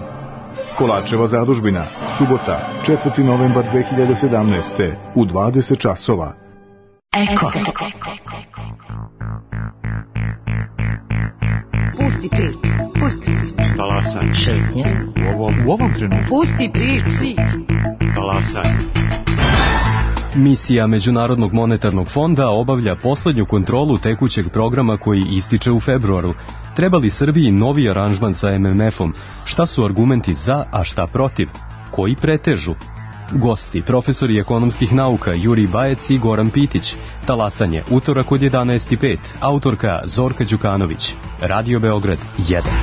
Kolačeva zadužbina, subota, četvrti novembar dve hiljade sedamnaeste. u dvadeset časova. Eko. Pusti prič, pusti prič. Talasaj. Šetnje. U ovom, u ovom trenutku. Pusti prič. Talasaj. Misija Međunarodnog monetarnog fonda obavlja poslednju kontrolu tekućeg programa koji ističe u februaru. Treba li Srbiji novi aranžman sa M M F-om? Šta su argumenti za, a šta protiv? Koji pretežu? Gosti, profesori ekonomskih nauka Jurij Bajec i Goran Pitić. Talasanje, utorak od jedanaest i pet. Autorka Zorka Đukanović. Radio Beograd jedan.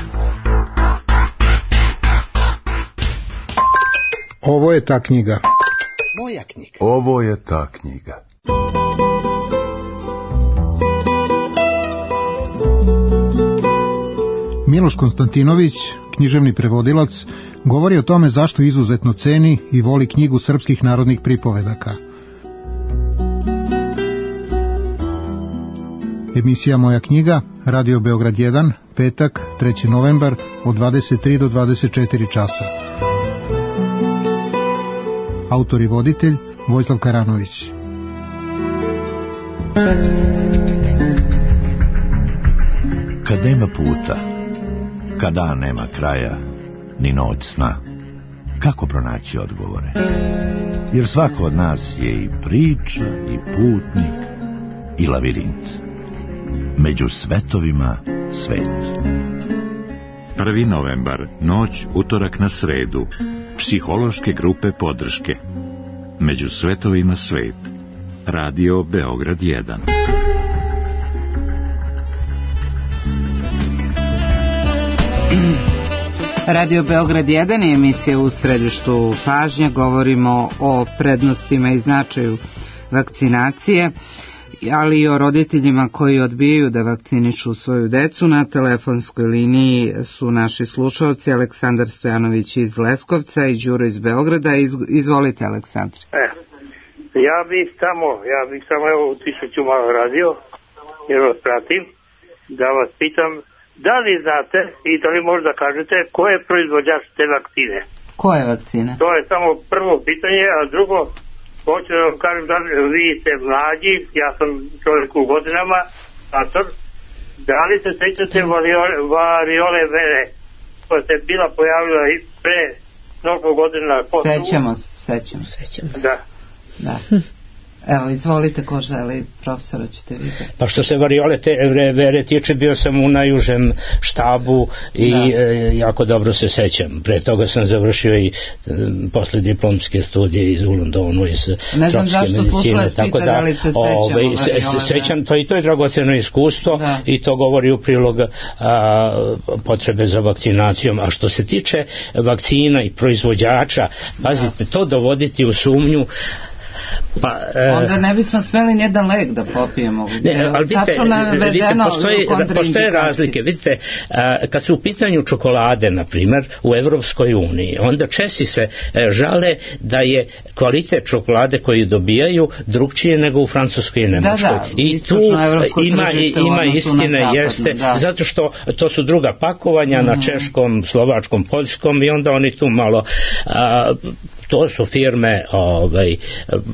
Ovo je ta knjiga. Moja knjiga. Ovo je ta knjiga. Miloš Konstantinović, književni prevodilac, govori o tome zašto izuzetno ceni i voli knjigu srpskih narodnih pripovedaka. Emisija Moja knjiga, Radio Beograd jedan, petak, treći novembar, od dvadeset tri do dvadeset četiri časa. Autor i voditelj Vojislav Karanović. Kad nema puta, kad dan nema kraja, ni noć sna, kako pronaći odgovore? Jer svako od nas je i priča, i putnik, i lavirint. Među svetovima svet. prvi novembar, noć, utorak na sredu. Psihološke grupe podrške. Među svetovima svet. Radio Beograd jedan. Radio Beograd jedan je emisija u središtu pažnje. Govorimo o prednostima i značaju vakcinacije, ali i o roditeljima koji odbijaju da vakcinišu svoju decu. Na telefonskoj liniji su naši slušalci Aleksandar Stojanović iz Leskovca i Đuro iz Beograda. Iz, izvolite, Aleksandar. E, ja bih samo, ja bih samo evo utišću malo radio, jer vas pratim, da vas pitam, da li znate i da li možda kažete ko je proizvođač te vakcine? Koje vakcine? To je samo prvo pitanje, a drugo, hoću da vam kažem da vi ste mlađi, ja sam čovjek u godinama, ator, da li se sećate variole, variole vere koja se bila pojavila i pre mnogo godina? Sećamo se, sećamo se. Da. Da. Evo, izvolite, ko želi, profesora, ćete vidjeti. Pa što se variole te vere tiče, bio sam u najužem štabu i e, jako dobro se sećam. Pre toga sam završio i e, posle diplomske studije iz u Londonu iz tropske medicine. Tako da, da li se ove, se, se, sećam, pa i to je dragoceno iskustvo, da. I to govori u prilog a, potrebe za vakcinacijom. A što se tiče vakcina i proizvođača, pazite, to dovoditi u sumnju, pa, onda ne bismo smeli nijedan lek da popijemo. Ne, ali vidite, vidite postoje, postoje razlike. Vidite, kad su u pitanju čokolade, na primjer, u Evropskoj uniji, onda Česi se žale da je kvalitet čokolade koju dobijaju drugčije nego u Francuskoj i Nemačkoj. Da, da, i tu ima, ima istine, jeste, da. Zato što to su druga pakovanja mm. na češkom, slovačkom, poljskom i onda oni tu malo a, to su firme ovaj,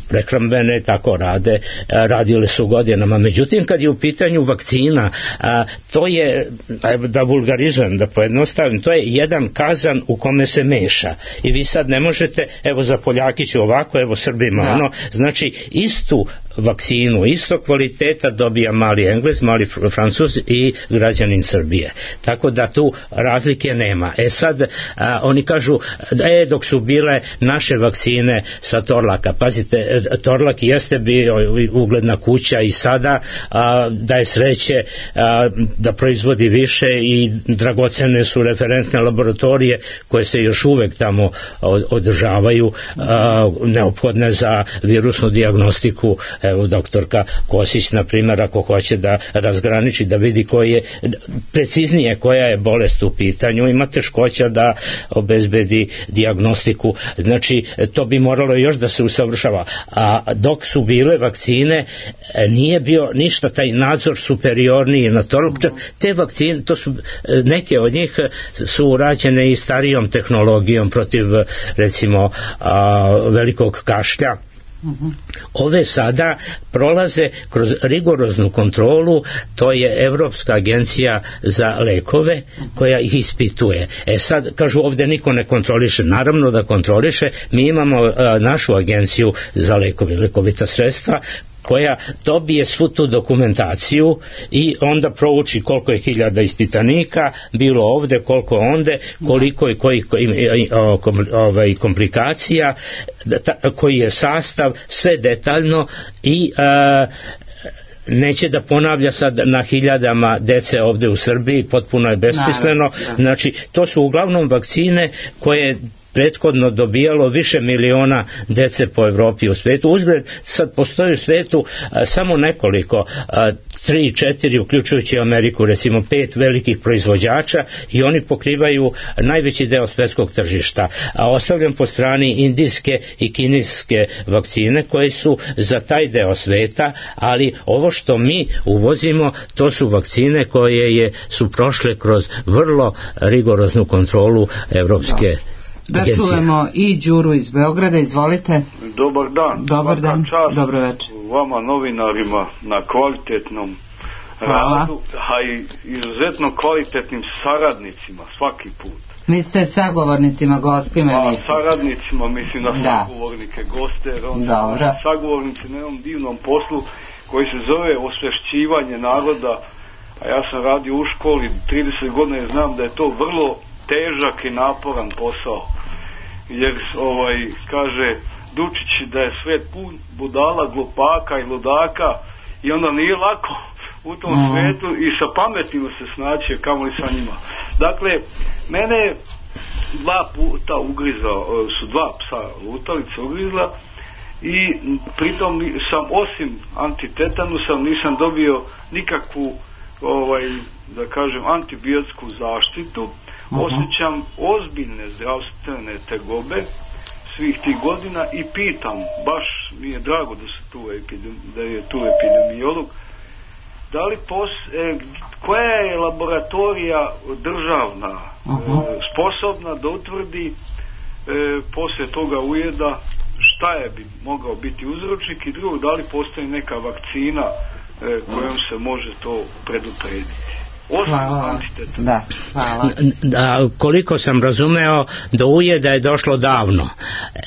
prehrambene, tako rade, radile su godinama. Međutim, kad je u pitanju vakcina, a, to je, da vulgarizujem, da pojednostavim, to je jedan kazan u kome se meša. I vi sad ne možete, evo za Poljakiću ovako, evo Srbima da. Ono, znači istu vakcinu, isto kvaliteta dobija mali Englez, mali Francuz i građanin Srbije. Tako da tu razlike nema. E sad, a, oni kažu, e, dok su bile naše vakcine sa Torlaka, pazite, Torlak jeste bio ugledna kuća i sada a, da je sreće a, da proizvodi više i dragocene su referentne laboratorije koje se još uvek tamo održavaju, a, neophodne za virusnu dijagnostiku. Evo doktorka Kosić, na primjer, ako hoće da razgraniči, da vidi koji je preciznije koja je bolest u pitanju, ima teškoća da obezbedi dijagnostiku. Znači, to bi moralo još da se usavršava. A dok su bile vakcine, nije bio ništa taj nadzor superiorniji na to. Te vakcine, to su, neke od njih su urađene i starijom tehnologijom protiv, recimo, a, velikog kašlja. Ove sada prolaze kroz rigoroznu kontrolu, to je Evropska agencija za lekove koja ih ispituje. E sad, kažu, ovdje niko ne kontroliše. Naravno da kontroliše, mi imamo a, našu agenciju za lekovi, lekovita sredstva, koja dobije svu tu dokumentaciju i onda prouči koliko je hiljada ispitanika bilo ovde, koliko onde, koliko i koji ovaj, komplikacija, koji je sastav, sve detaljno i a, neće da ponavlja sad na hiljadama dece ovde u Srbiji, potpuno je besmisleno. Znači, to su uglavnom vakcine koje prethodno dobijalo više miliona dece po Evropi i u svetu. Uzgled, sad postoji u svetu a, samo nekoliko, a, tri, četiri, uključujući Ameriku, recimo pet velikih proizvođača i oni pokrivaju najveći deo svetskog tržišta. A ostavljam po strani indijske i kineske vakcine koje su za taj deo sveta, ali ovo što mi uvozimo, to su vakcine koje je, su prošle kroz vrlo rigoroznu kontrolu evropske da. Da čujemo i Đuru iz Beograda, izvolite. Dobar dan. Dobar dan, dobro večer. Vama novinarima na kvalitetnom Hvala. radu, a i izuzetno kvalitetnim saradnicima svaki put. Mi ste sagovornicima, gostima. A saradnicima, mislim na sagovornike, goste, onda sagovornici na jednom divnom poslu koji se zove osvešćivanje naroda, a ja sam radio u školi trideset godina i znam da je to vrlo težak i naporan posao, jer ovaj kaže Dučić da je svet pun budala, glupaka i ludaka i onda nije lako u tom mm. svetu i sa pametnima se snaći, kamoli sa njima. Dakle, mene dva puta ugrizao, su dva psa lutalice ugrizla i pritom sam osim antitetanusa nisam dobio nikakvu ovaj, da kažem, antibiotsku zaštitu. Uh-huh. Osjećam ozbiljne zdravstvene tegobe svih tih godina i pitam, baš mi je drago da, se tu epidemi, da je tu epidemiolog, da li pos, e, koja je laboratorija državna uh-huh. e, sposobna da utvrdi e, poslije toga ujeda šta je bi mogao biti uzročnik i drugo, da li postoji neka vakcina e, kojom se može to preduprediti. Hvala. Da, hvala. Da, koliko sam razumeo, do ujeda je došlo davno.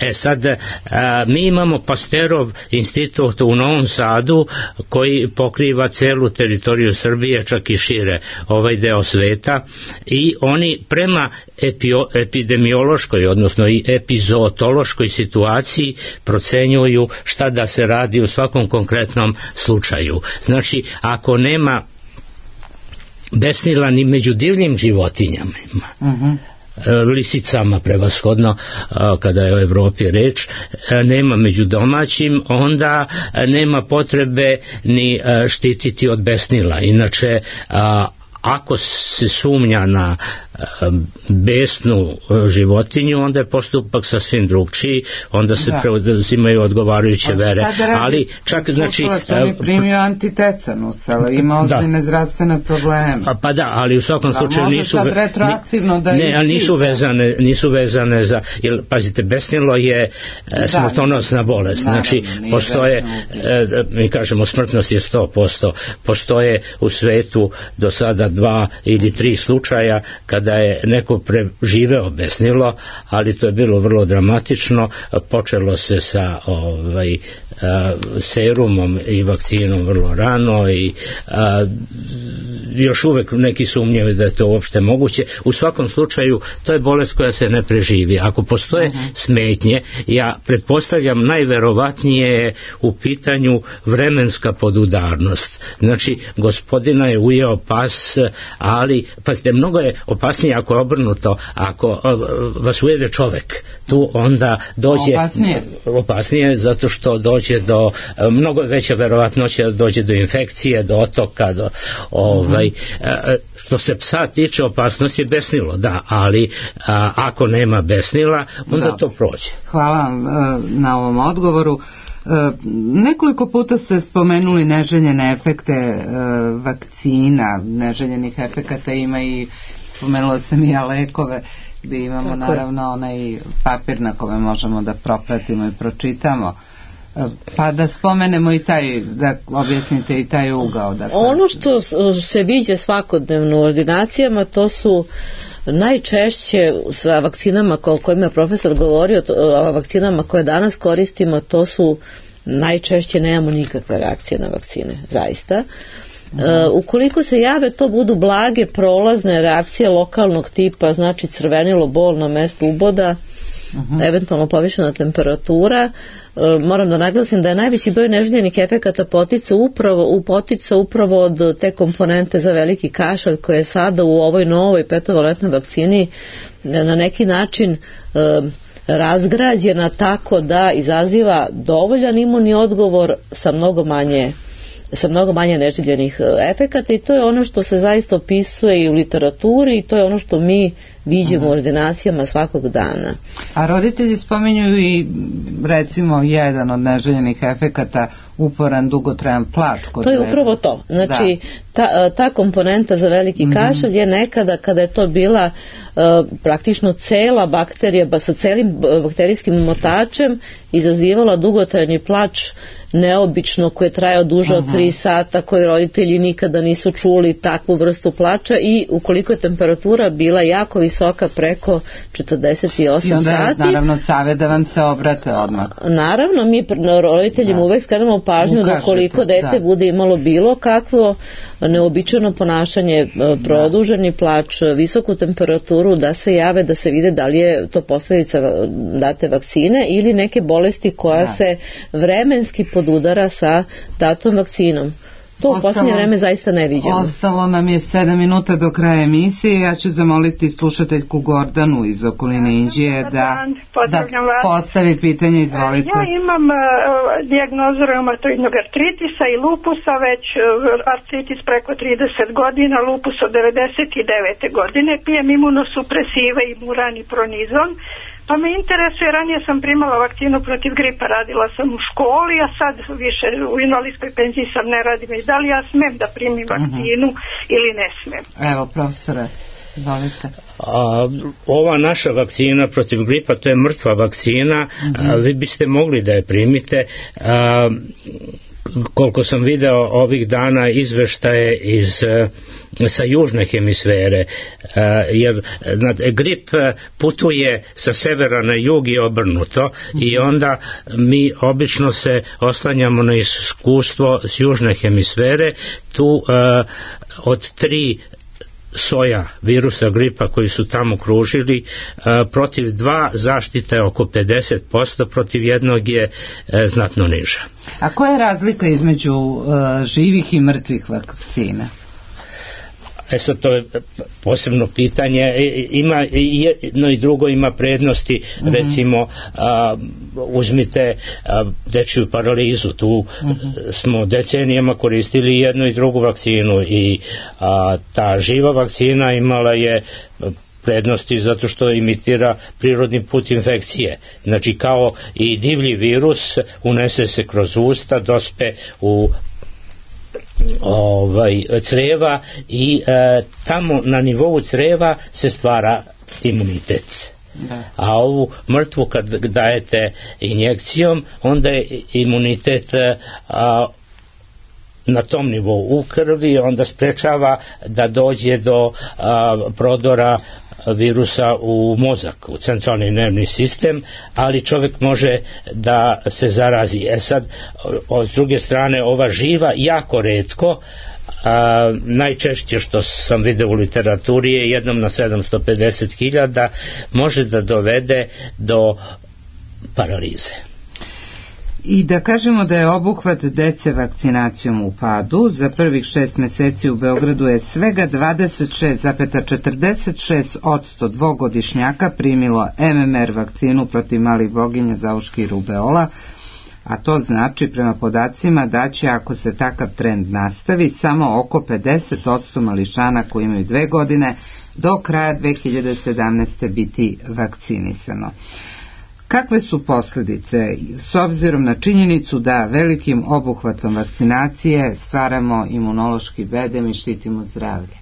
E sad, a, mi imamo Pasterov institut u Novom Sadu koji pokriva celu teritoriju Srbije, čak i šire ovaj deo sveta, i oni prema epio, epidemiološkoj, odnosno i epizootološkoj situaciji procenjuju šta da se radi u svakom konkretnom slučaju. Znači, ako nema besnila ni među divljim životinjama. Uh-huh. lisicama prevashodno kada je o Evropi reč, nema među domaćim, onda nema potrebe ni štititi od besnila. Inače, ako se sumnja na besnu životinju, onda je postupak sasvim drugčiji, onda se da. preuzimaju odgovarajuće vere. Ali čak znači... On je primio antitetanus, ali ima ozbiljne zdravstvene probleme. Pa, pa da, ali u svakom slučaju može nisu... sad retroaktivno da... Ne, ali nisu vezane, nisu vezane za... Jer, pazite, besnilo je da, smrtonosna bolest. Naravno, znači, postoje, mi kažemo, smrtnost je sto posto. Postoje u svetu do sada dva ili tri slučaja kada da je neko preživeo besnilo, ali to je bilo vrlo dramatično. Počelo se sa ovaj, a, serumom i vakcinom vrlo rano i a, još uvek neki sumnjaju da je to uopšte moguće. U svakom slučaju to je bolest koja se ne preživi. Ako postoje uh-huh. smetnje, ja pretpostavljam najverovatnije je u pitanju vremenska podudarnost. Znači, gospodina je ujeo pas, ali pazite, mnogo je opasnije ako je obrnuto, ako vas ujede čovek, tu onda dođe opasnije, opasnije zato što dođe do, mnogo veća verovatnoća da dođe do infekcije, do otoka, do ovaj, uh-huh. što se psa tiče, opasnost je besnilo, da, ali a, ako nema besnila, onda da. to prođe. Hvala vam na ovom odgovoru. Nekoliko puta ste spomenuli neželjene efekte vakcina, neželjenih efekata ima i spomenula sam i ja lekove gdje imamo Tako naravno je. onaj papir na kome možemo da propratimo i pročitamo. Pa da spomenemo i taj, da objasnite i taj ugao. Dakle. Ono što se viđe svakodnevno u ordinacijama, to su najčešće sa vakcinama o kojima je profesor govorio, o vakcinama koje danas koristimo, to su najčešće nemamo nikakve reakcije na vakcine, zaista. Uh, ukoliko se jave, to budu blage prolazne reakcije lokalnog tipa, znači crvenilo, bol na mestu uboda, uh-huh. eventualno povišena temperatura. Uh, moram da naglasim da je najveći broj neželjenih efekata potica upravo, u potica upravo od te komponente za veliki kašalj koje je sada u ovoj novoj petovalentnoj vakcini na neki način uh, razgrađena tako da izaziva dovoljan imunni odgovor sa mnogo manje sa mnogo manje neželjenih efekata i to je ono što se zaista opisuje i u literaturi i to je ono što mi viđemo u ordinacijama svakog dana. A roditelji spominju i recimo jedan od neželjenih efekata uporan dugotrajan plač. Kod to je upravo to. Znači ta, ta komponenta za veliki mm-hmm. kašalj je nekada kada je to bila uh, praktično cela bakterija ba, sa celim bakterijskim motačem izazivala dugotrajni plač neobično koji je trajao duže od tri sata, koji roditelji nikada nisu čuli takvu vrstu plača i ukoliko je temperatura bila jako visoka preko četrdeset osam I onda je, sati. Naravno savjet da vam se obrate odmah. Naravno, mi roditeljima da. uvek skrenemo pažnju Ukažete, da koliko dete da. bude imalo bilo kakvo neobičajno ponašanje, produženi plač, visoku temperaturu, da se jave, da se vide da li je to posljedica date vakcine ili neke bolesti koja da. se vremenski podudara sa datom vakcinom. To u posljednje vreme zaista ne viđamo. Ostalo nam je sedam minuta do kraja emisije. Ja ću zamoliti slušateljku Gordanu iz okoline Inđije da, da postavi pitanje. Izvolite. Ja imam uh, dijagnozu reumatoidnog artritisa i lupusa, već uh, artritis preko trideset godina, lupus od devedeset devete godine. Pijem imunosupresive i Muran i Pronizon. Pa me interesuje, ranije sam primala vakcinu protiv gripa, radila sam u školi, a sad više u invalidskoj penziji sam, ne radim. I da li ja smem da primim vakcinu uh-huh. ili ne smem? Evo, profesore, volite. A, ova naša vakcina protiv gripa, to je mrtva vakcina, uh-huh. a, vi biste mogli da je primite. A, koliko sam video ovih dana izveštaje iz sa južne hemisfere, jer grip putuje sa severa na jug i obrnuto i onda mi obično se oslanjamo na iskustvo s južne hemisfere. Tu od tri soja virusa gripa koji su tamo kružili, protiv dva zaštita je oko pedeset posto, protiv jednog je znatno niža. A koja je razlika između živih i mrtvih vakcina? E sad, to je posebno pitanje. Ima jedno i drugo ima prednosti. Mm-hmm. Recimo, a, uzmite a, dečiju paralizu. Tu mm-hmm. smo decenijama koristili jednu i drugu vakcinu i a, ta živa vakcina imala je prednosti zato što imitira prirodni put infekcije. Znači, kao i divlji virus, unese se kroz usta, dospe u ovaj creva i e, tamo na nivou creva se stvara imunitet. Da. A ovu mrtvu kad dajete injekcijom, onda je imunitet a, na tom nivou u krvi, onda sprečava da dođe do a, prodora virusa u mozak, u centralni nervni sistem, ali čovjek može da se zarazi. E sad, s druge strane, ova živa jako retko, a, najčešće što sam vidio u literaturi je jednom na sedamsto pedeset hiljada, može da dovede do paralize. I da kažemo da je obuhvat dece vakcinacijom u padu. Za prvih šest meseci u Beogradu je svega dvadeset šest zarez četrdeset šest posto dvogodišnjaka primilo M M R vakcinu protiv malih boginja, zauške i rubeola, a to znači prema podacima da će, ako se takav trend nastavi, samo oko pedeset posto mališana koji imaju dve godine do kraja dve hiljade sedamnaeste. biti vakcinisano. Kakve su posljedice s obzirom na činjenicu da velikim obuhvatom vakcinacije stvaramo imunološki bedem i štitimo zdravlje?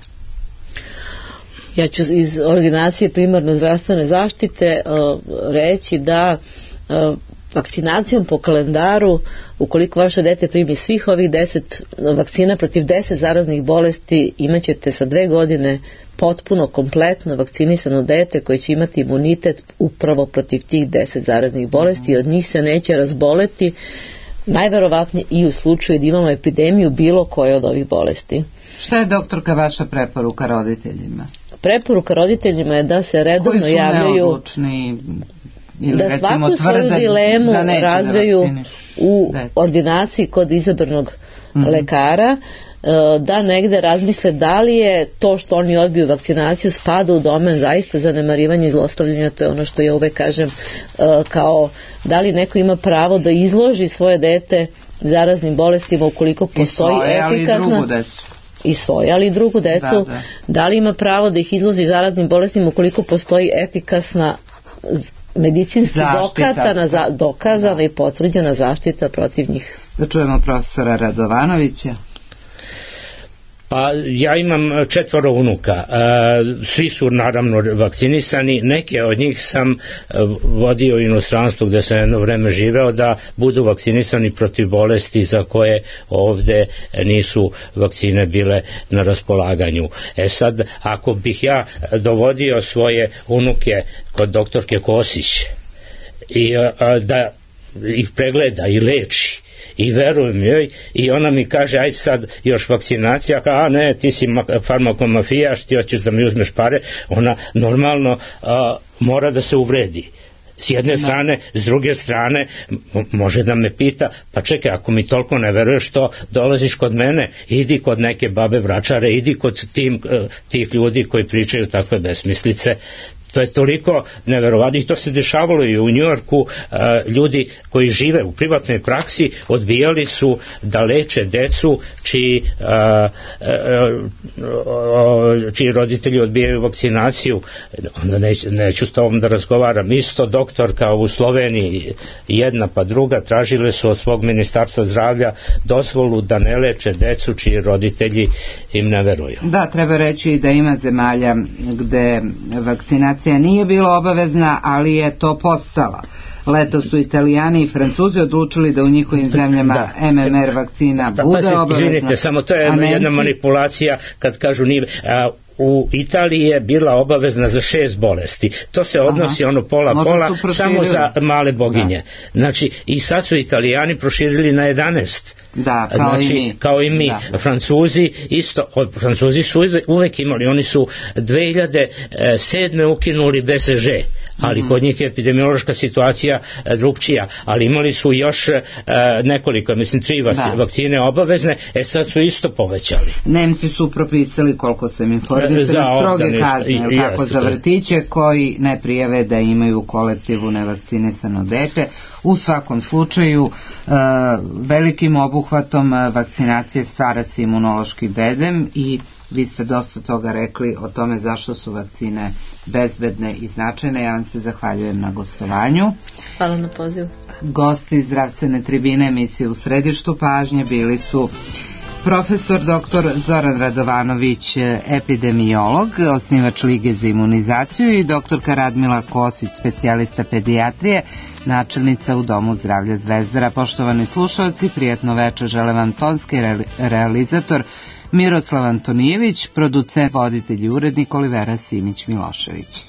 Ja ću iz ordinacije primarne zdravstvene zaštite uh, reći da uh, vakcinacijom po kalendaru, ukoliko vaše dete primi svih ovih deset vakcina protiv deset zaraznih bolesti, imaćete sa dve godine potpuno, kompletno vakcinisano dete koje će imati imunitet upravo protiv tih deset zaraznih bolesti i od njih se neće razboleti, najverovatnije i u slučaju da imamo epidemiju bilo koje od ovih bolesti. Šta je, doktorka, vaša preporuka roditeljima? Preporuka roditeljima je da se redovno javljaju, koji su neodlučni, da svaku svoju dilemu razveju u ordinaciji kod izabranog mm-hmm. lekara, da negde razmisle da li je to što oni odbiju vakcinaciju spada u domen zaista zanemarivanja i zlostavljanja. To je ono što ja uvek kažem, kao da li neko ima pravo da izloži svoje dete zaraznim bolestima ukoliko postoji efikasna i svoje, ali i drugu decu, da, da. da li ima pravo da ih izloži zaraznim bolestima ukoliko postoji efikasna medicinski dokazana, za, dokazana da. i potvrđena zaštita protiv njih. Da čujemo profesora Radovanovića. Pa ja imam četvoro unuka, svi su naravno vakcinisani, neke od njih sam vodio u inostranstvu gde sam jedno vreme živeo da budu vakcinisani protiv bolesti za koje ovde nisu vakcine bile na raspolaganju. E sad, ako bih ja dovodio svoje unuke kod doktorke Kosić i da ih pregleda i leči i verujem joj i ona mi kaže aj sad još vakcinacija, a ne, ti si farmakomafijaš, ti hoćeš da mi uzmeš pare, ona normalno a, mora da se uvredi s jedne strane, s druge strane može da me pita, pa čekaj, ako mi toliko ne veruješ, što dolaziš kod mene, idi kod neke babe vračare, idi kod tim, tih ljudi koji pričaju takve besmislice. To je toliko neverovatno i to se dešavalo i u Njujorku. Ljudi koji žive u privatnoj praksi odbijali su da leče decu čiji, čiji roditelji odbijaju vakcinaciju. Onda neću, neću s tobom da razgovaram. Isto doktorka u Sloveniji, jedna pa druga, tražile su od svog ministarstva zdravlja dozvolu da ne leče decu čiji roditelji im ne veruju. Da, treba reći da ima zemalja gde vakcinacija nije bila obavezna, ali je to postala. Leto su Italijani i Francuzi odlučili da u njihovim zemljama da. M M R vakcina da, bude pa, obavezna. Izvinite, samo to je jedna, Nemci... jedna manipulacija kad kažu nije... A, u Italiji je bila obavezna za šest bolesti. To se odnosi Aha. ono pola-pola samo za male boginje. Da. Znači, i sad su Italijani proširili na jedanaest. Da, kao znači, i mi. Kao i mi. Da. Francuzi isto, Francuzi su uvek imali, oni su dve hiljade sedme ukinuli B C G, ali kod njih je epidemiološka situacija drugčija, ali imali su još nekoliko, mislim tri vakcine obavezne, e sad su isto povećali. Nemci su propisali, koliko sam informisala, stroge kazne kako za vrtiće koji ne prijave da imaju u kolektivu nevakcinisano dete. U svakom slučaju velikim obuhvatom vakcinacije stvara se imunološki bedem i vi ste dosta toga rekli o tome zašto su vakcine bezbedne i značajne. Ja vam se zahvaljujem na gostovanju. Hvala na pozivu. Gosti zdravstvene tribine emisije U središtu pažnje bili su profesor doktor Zoran Radovanović, epidemiolog, osnivač Lige za imunizaciju, i doktorka Radmila Kosić, specijalista pedijatrije, načelnica u Domu zdravlja Zvezdara. Poštovani slušalci, prijatno večer žele vam tonski realizator Miroslav Antonijević, producent, voditelj i urednik Olivera Simić Milošević.